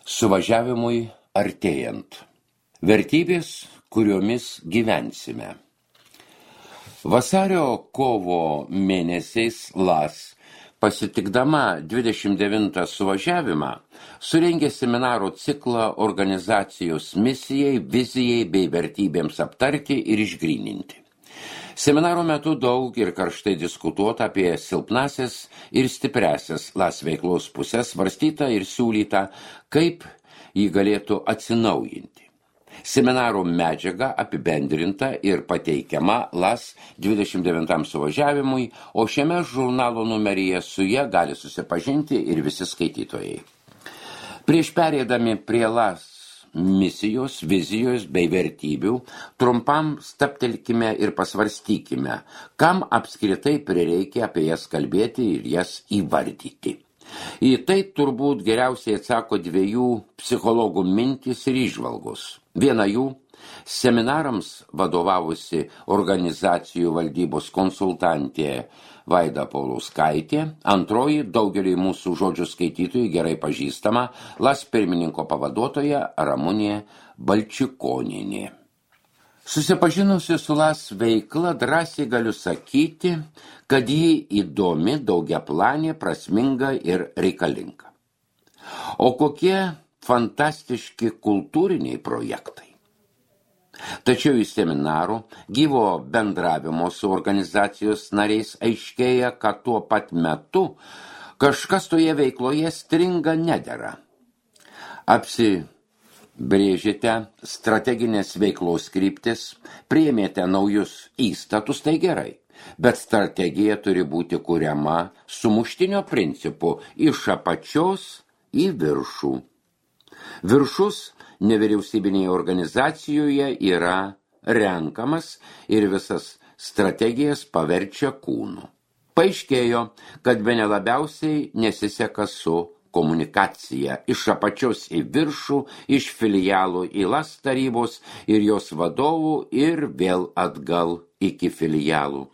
Suvažiavimui artėjant. Vertybės, kuriomis gyvensime. Vasario-kovo mėnesiais LAS, pasitikdama 29 suvažiavimą, surengė seminarų ciklą organizacijos misijai, vizijai bei vertybėms aptarti ir išgryninti. Seminaro metu daug ir karštai diskutuota apie silpnasias ir stipresias LAS veiklos pusės, svarstyta ir siūlyta, kaip jį galėtų atsinaujinti. Seminaro medžiaga apibendrinta ir pateikiama LAS 29 suvažiavimui, o šiame žurnalo numeryje su ja gali susipažinti ir visi skaitytojai. Prieš perėdami prie LAS misijos, vizijos bei vertybių, trumpam stabtelkime ir pasvarstykime, kam apskritai prireikia apie jas kalbėti ir jas įvardyti. Į tai turbūt geriausiai atsako dviejų psichologų mintys ir įžvalgos. Viena jų – seminarams vadovavusi organizacijų valdybos konsultantė Vaida Paulauskaitė, antroji daugeliui mūsų žodžių skaitytojų gerai pažįstama LAS pirmininko pavaduotoja Ramunė Balčikonienė. Susipažinusi su LAS veikla, drąsiai galiu sakyti, kad ji įdomi, daugiaplanė, prasminga ir reikalinga. O kokie fantastiški kultūriniai projektai. Tačiau iš seminarų, gyvo bendravimo su organizacijos nariais aiškėja, kad tuo pat metu kažkas toje veikloje stringa nedera. Apsibrėžėte strateginės veiklos kryptis, priėmėte naujus įstatus, tai gerai, bet strategija turi būti kuriama sumuštinio principu iš apačios į viršų. Viršus nevyriausybinėje organizacijoje yra renkamas ir visas strategijas paverčia kūnu. Paaiškėjo, kad bene labiausiai nesiseka su komunikacija iš apačios į viršų, iš filialų į LAS tarybos ir jos vadovų ir vėl atgal iki filialų.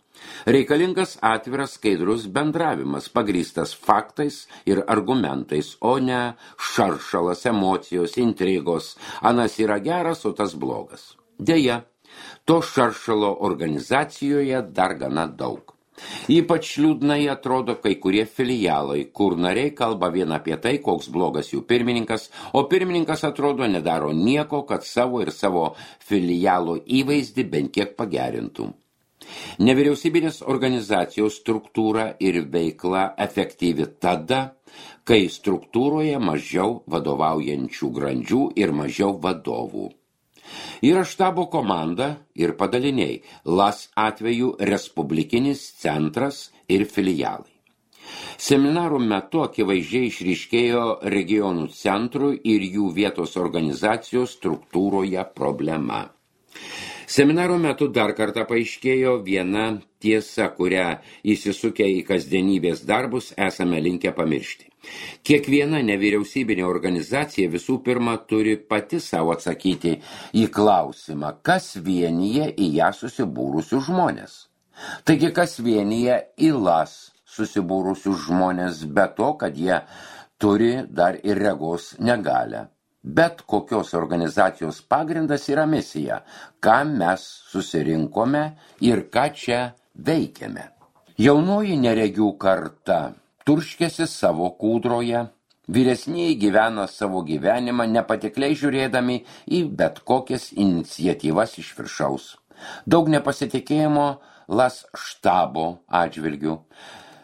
Reikalingas atviras skaidrus bendravimas, pagrįstas faktais ir argumentais, o ne šaršalas, emocijos, intrigos, anas yra geras, o tas blogas. Deja, to šaršalo organizacijoje dar gana daug. Ypač liūdnai atrodo kai kurie filialai, kur nariai kalba vien apie tai, koks blogas jų pirmininkas, o pirmininkas atrodo nedaro nieko, kad savo ir savo filialo įvaizdį bent kiek pagerintų. Nevyriausybinės organizacijos struktūra ir veikla efektyvi tada, kai struktūroje mažiau vadovaujančių grandžių ir mažiau vadovų. Yra štabo komanda ir padaliniai, LAS atveju respublikinis centras ir filialai. Seminarų metu akivaizdžiai išryškėjo regionų centrų ir jų vietos organizacijos struktūroje problema. Seminaro metu dar kartą paaiškėjo viena tiesa, kurią įsisukę į kasdienybės darbus esame linkę pamiršti. Kiekviena nevyriausybinė organizacija visų pirma turi pati savo atsakyti į klausimą, kas vienyje į ją susibūrusius žmonės. Taigi, kas vienyje į LAS susibūrusius žmonės, be to, kad jie turi dar ir regos negalią. Bet kokios organizacijos pagrindas yra misija, ką mes susirinkome ir ką čia veikiame. Jaunoji neregių karta turškėsi savo kūdroje, vyresnieji gyvena savo gyvenimą, nepatikliai žiūrėdami į bet kokias iniciatyvas iš viršaus. Daug nepasitikėjimo LAS štabo atžvilgių.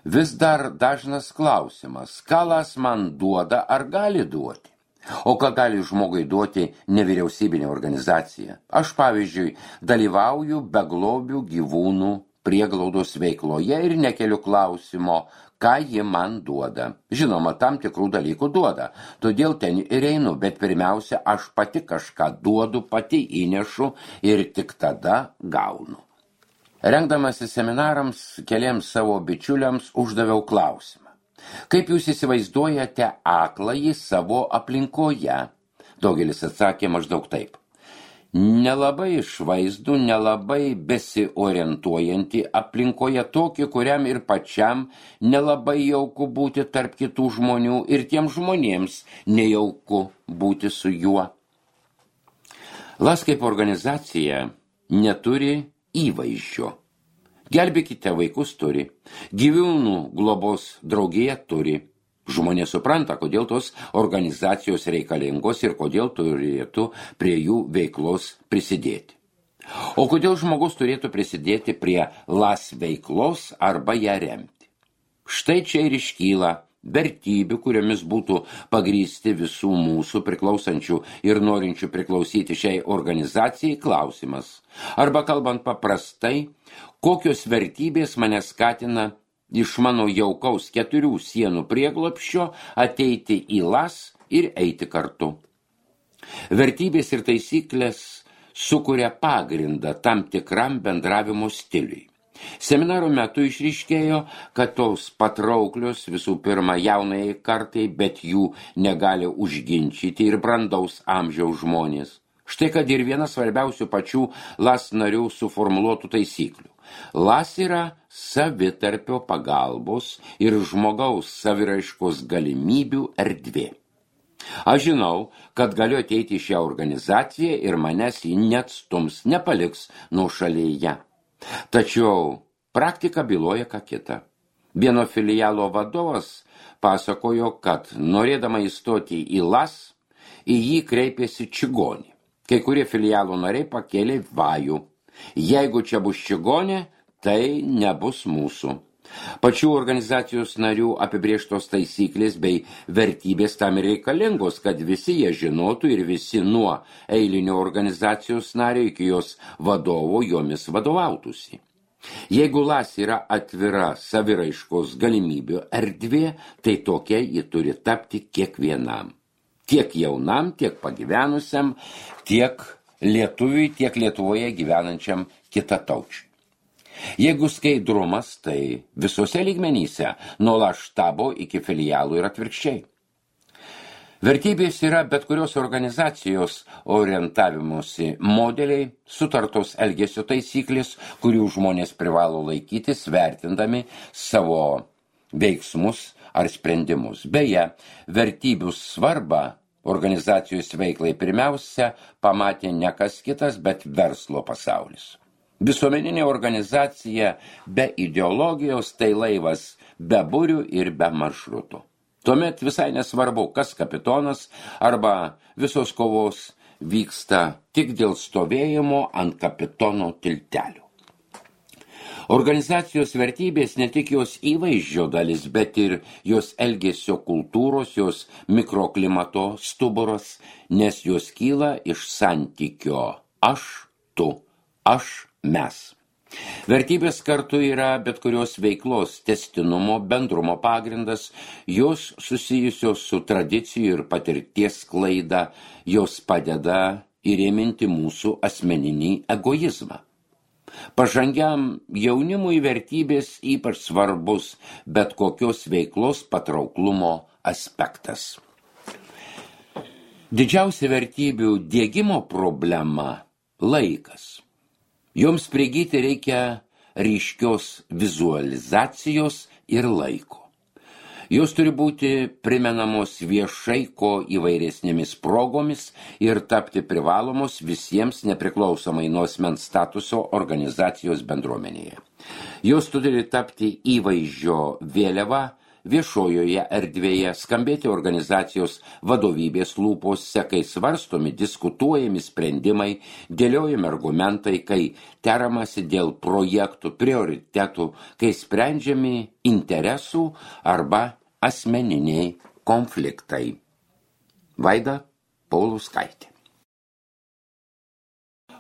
Vis dar dažnas klausimas, ką LAS man duoda ar gali duoti? O ką gali žmogui duoti nevyriausybinė organizacija? Aš, pavyzdžiui, dalyvauju beglobių gyvūnų prieglaudos veikloje ir nekeliu klausimo, ką ji man duoda. Žinoma, tam tikrų dalykų duoda, todėl ten ir einu, bet pirmiausia, aš pati kažką duodu, pati įnešu ir tik tada gaunu. Rengdamasi seminarams, keliems savo bičiuliams uždaviau klausimą. Kaip jūs įsivaizduojate akląjį savo aplinkoje? Daugelis atsakė maždaug taip. nelabai išvaizdų, nelabai besiorientuojantį aplinkoje tokį, kuriam ir pačiam nelabai jauku būti tarp kitų žmonių ir tiem žmonėms nejauku būti su juo. LAS kaip organizacija neturi įvaizdžio. Gelbėkite vaikus turi, gyvūnų globos draugija turi. Žmonės supranta, kodėl tos organizacijos reikalingos ir kodėl turėtų prie jų veiklos prisidėti. O kodėl žmogus turėtų prisidėti prie LAS veiklos arba ją remti? Štai čia ir iškyla vertybių, kuriomis būtų pagrįsti visų mūsų priklausančių ir norinčių priklausyti šiai organizacijai klausimas. Arba kalbant paprastai, kokios vertybės mane skatina iš mano jaukaus 4 sienų prieglobsčio ateiti į LAS ir eiti kartu. Vertybės ir taisyklės sukuria pagrindą tam tikram bendravimo stiliui. Seminaro metu išryškėjo, kad tos patrauklios visų pirma jaunai kartai, bet jų negali užginčyti ir brandaus amžiaus žmonės. Štai kad ir viena svarbiausių pačių LAS narių suformuluotų taisyklių. LAS yra savitarpio pagalbos ir žmogaus saviraiškos galimybių erdvė. Aš žinau, kad galiu ateiti į šią organizaciją ir manęs ji neatstums, nepaliks nuošalėje. Tačiau praktika byloja ką kita. Vieno filialo vadovas pasakojo, kad norėdama įstoti į LAS, į jį kreipėsi čigonė. Kai kurie filialo nariai pakėlė vajų. Jeigu čia bus čigonė, tai nebus mūsų. Pačių organizacijos narių apibrėžtos taisyklės bei vertybės tam reikalingos, kad visi jie žinotų ir visi nuo eilinio organizacijos nario iki jos vadovo jomis vadovautųsi. Jeigu LAS yra atvira saviraiškos galimybių erdvė, tai tokia ji turi tapti kiekvienam. Tiek jaunam, tiek pagyvenusiam, tiek lietuviui, tiek Lietuvoje gyvenančiam kitataučiui. Jeigu skaidrumas, tai visose lygmenyse, nuo LAS štabo iki filialų ir atvirkščiai. Vertybės yra bet kurios organizacijos orientavimosi modeliai, sutartos elgesio taisyklės, kurių žmonės privalo laikytis, vertindami savo veiksmus ar sprendimus. Beje, vertybių svarbą organizacijos veiklai pirmiausia pamatė ne kas kitas, bet verslo pasaulis. Visuomeninė organizacija be ideologijos tai laivas be burių ir be maršrutų. Tuomet visai nesvarbu, kas kapitonas arba visos kovos vyksta tik dėl stovėjimo ant kapitono tiltelių. Organizacijos vertybės ne tik jos įvaizdžio dalis, bet ir jos elgesio kultūros, jos mikroklimato stuburas, nes jos kyla iš santykio aš, tu, aš, mes. Vertybės kartu yra bet kurios veiklos tęstinumo, bendrumo pagrindas, jos susijusios su tradicijų ir patirties sklaida, jos padeda įrėminti mūsų asmeninį egoizmą. Pažangiam jaunimui vertybės ypač svarbus bet kokios veiklos patrauklumo aspektas. Didžiausia vertybių diegimo problema – laikas. Joms prigyti reikia ryškios vizualizacijos ir laiko. Jos turi būti primenamos viešai ko įvairesnėmis progomis ir tapti privalomos visiems nepriklausomai nuo asmens statuso organizacijos bendruomenėje. Jos turi tapti įvaizdžio vėliava viešojoje erdvėje, skambėti organizacijos vadovybės lūpose, kai svarstomi, diskutuojami sprendimai, dėliojami argumentai, kai teramasi dėl projektų, prioritetų, kai sprendžiami interesų arba asmeniniai konfliktai. Vaida Paulauskaitė.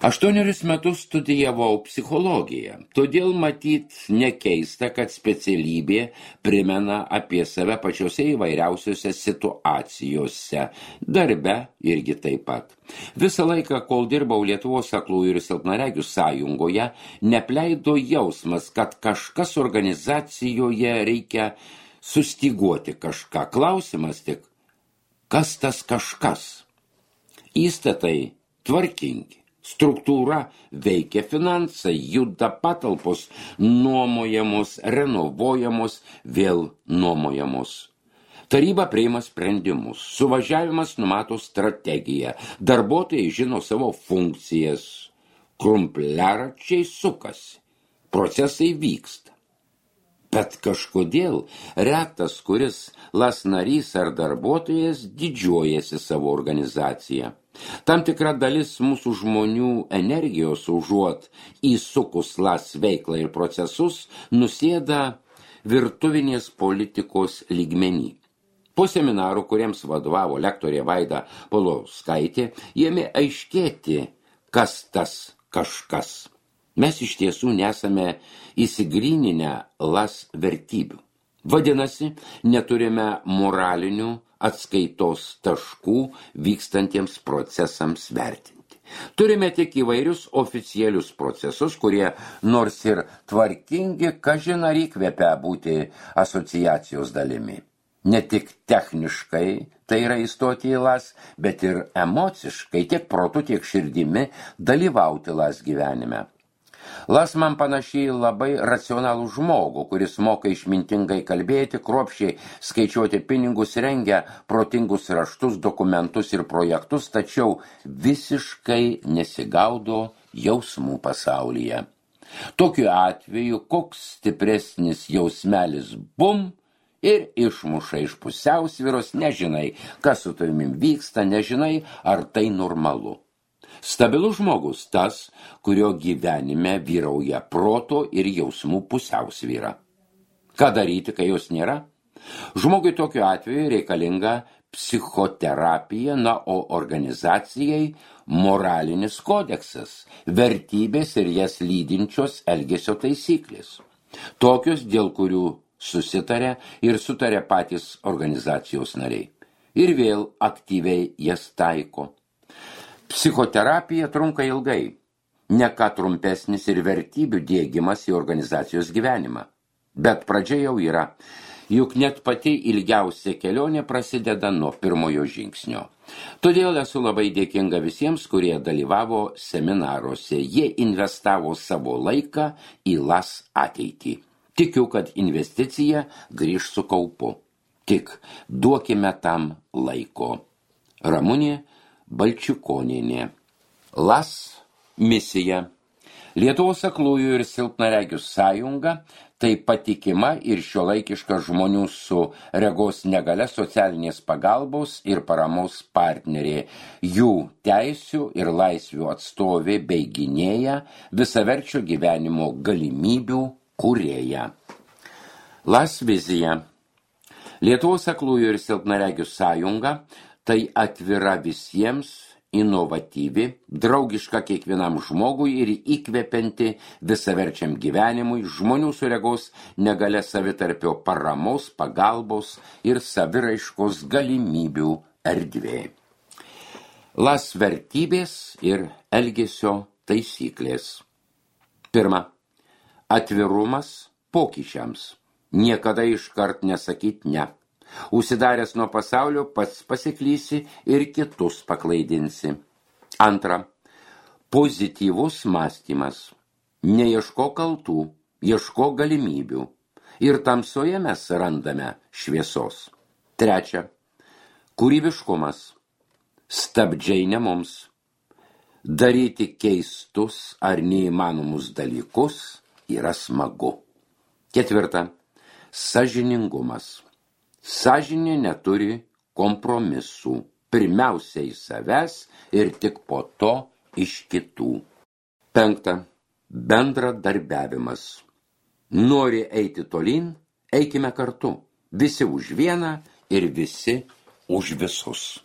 8 metus studijavau psichologiją, todėl matyt nekeista, kad specialybė primena apie save pačiose įvairiausiose situacijose, darbe irgi taip pat. Visą laiką, kol dirbau Lietuvos aklųjų ir silpnaregių sąjungoje, nepleido jausmas, kad kažkas organizacijoje reikia sustiguoti kažką. Klausimas tik, kas tas kažkas? Įstatai tvarkingi. Struktūra veikia finansai, juda patalpos, nuomojamos, renovuojamos, vėl nuomojamos. Taryba priima sprendimus, suvažiavimas numato strategiją, darbuotojai žino savo funkcijas, krumpliaračiai sukasi, procesai vyksta. Bet kažkodėl retas, kuris LAS narys ar darbuotojas didžiuojasi savo organizaciją. Tam tikra dalis mūsų žmonių energijos užuot įsukus LAS veiklą ir procesus nusėda virtuvinės politikos lygmenį. Po seminarų, kuriems vadovavo lektorė Vaida Paulauskaitė, ėmė aiškėti, kas tas kažkas. Mes iš tiesų nesame įsigryninę LAS vertybių. Vadinasi, neturime moralinių atskaitos taškų vykstantiems procesams vertinti. Turime tik įvairius oficialius procesus, kurie nors ir tvarkingi, kažin ar įkvepia būti asociacijos dalimi. Ne tik techniškai, tai yra įstoti į LAS, bet ir emociškai, tiek protu, tiek širdimi dalyvauti LAS gyvenime. LAS man panašiai labai racionalų žmogų, kuris moka išmintingai kalbėti, kruopščiai skaičiuoti pinigus, rengia protingus raštus, dokumentus ir projektus, tačiau visiškai nesigaudo jausmų pasaulyje. Tokiu atveju, koks stipresnis jausmelis bum ir išmuša iš pusiausvyros, nežinai, kas su tavimi vyksta, nežinai, ar tai normalu. Stabilus žmogus tas, kurio gyvenime vyrauja proto ir jausmų pusiausvyra. Ką daryti, kai jos nėra? Žmogui tokiu atveju reikalinga psichoterapija, o organizacijai moralinis kodeksas, vertybės ir jas lydinčios elgesio taisyklės. Tokios, dėl kurių susitarė ir sutarė patys organizacijos nariai. Ir vėl aktyviai jas taiko. Psichoterapija trunka ilgai, ne ką trumpesnis ir vertybių diegimas į organizacijos gyvenimą. Bet pradžia jau yra, juk net pati ilgiausia kelionė prasideda nuo pirmojo žingsnio. Todėl esu labai dėkinga visiems, kurie dalyvavo seminaruose. Jie investavo savo laiką į LAS ateitį. Tikiu, kad investicija grįž su kaupu. Tik duokime tam laiko. Ramunė Balčiukonienė. LAS misija. Lietuvos aklųjų ir silpnaregių sąjunga tai patikima ir šiuolaikiška žmonių su regos negalia socialinės pagalbos ir paramos partnerė, jų teisių ir laisvių atstovė bei gynėja, visaverčio gyvenimo galimybių kūrėja. LAS vizija. Lietuvos aklųjų ir silpnaregių sąjunga tai atvira visiems, inovatyvi, draugiška kiekvienam žmogui ir įkvepianti visaverčiam gyvenimui, žmonių su regos negalia savitarpio paramos, pagalbos ir saviraiškos galimybių erdvė. LAS vertybės ir elgesio taisyklės. Pirma, atvirumas pokyčiams. Niekada iškart nesakyt ne. Užsidaręs nuo pasaulio pats pasiklysi ir kitus paklaidinsi. Antra, pozityvus mąstymas. Neieško kaltų, ieško galimybių. Ir tamsoje mes randame šviesos. Trečia, kūrybiškumas. Stabdžiai ne mums. Daryti keistus ar neįmanomus dalykus yra smagu. Ketvirta, sąžiningumas. Sąžinė neturi kompromisų, pirmiausia į savęs ir tik po to iš kitų. Penkta, bendradarbiavimas. Nori eiti tolyn, eikime kartu. Visi už vieną ir visi už visus.